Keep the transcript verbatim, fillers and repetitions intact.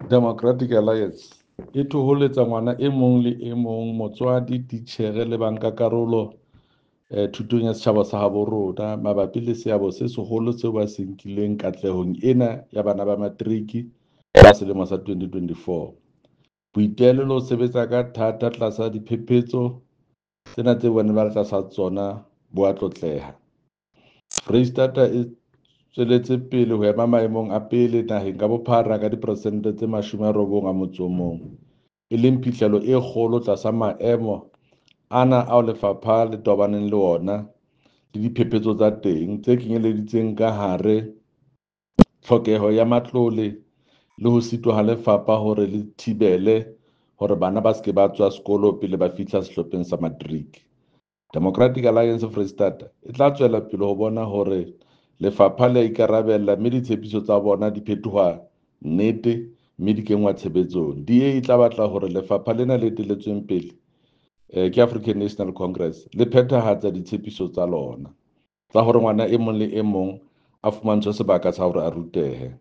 Democratic Alliance e thoholetsa ngwana e mong le e mong, motswadi, titjhere le bankakarolo thutong ya setjhaba sa habo rona mabapi le seabo se seholo seo ba se nkileng katlehong ena ya bana ba Materiki ba selemo sa twenty twenty-four. Boitelo le ho sebetsa ka thata tlasa diphephetso tsena tseo ba neng ba le tlasa tsona bo a tlotleha. Freistata e tsweletse pele ho ema maemong a pele naheng ka bophara ka diperesente tse mashome a robong a motso o mong, e leng phihlello e kgolo tlasa maemo ana ao lefapha le tobaneng le ona le diphephetso tsa teng, tse kenyeleditseng ka hare tlhokeho ya matlole le ho sitwa ha lefapha hore le thibele hore bana ba se ke ba tswa sekolo pele ba fihla sehlopheng sa Materiki. Democratic Alliance Freistata e tla tswela pele ho bona hore lefapha le a ikarabella mme ditshepiso tsa bona di fetoha nnete mme di kenngwa tshebetsong. D A e tla batla hore lefapha lena le eteletsweng pele ke African National Congress le phethahatsa ditshepiso tsa lona tsa hore ngwana e mong le e mong a fumantshwe sebaka sa hore a rutehe.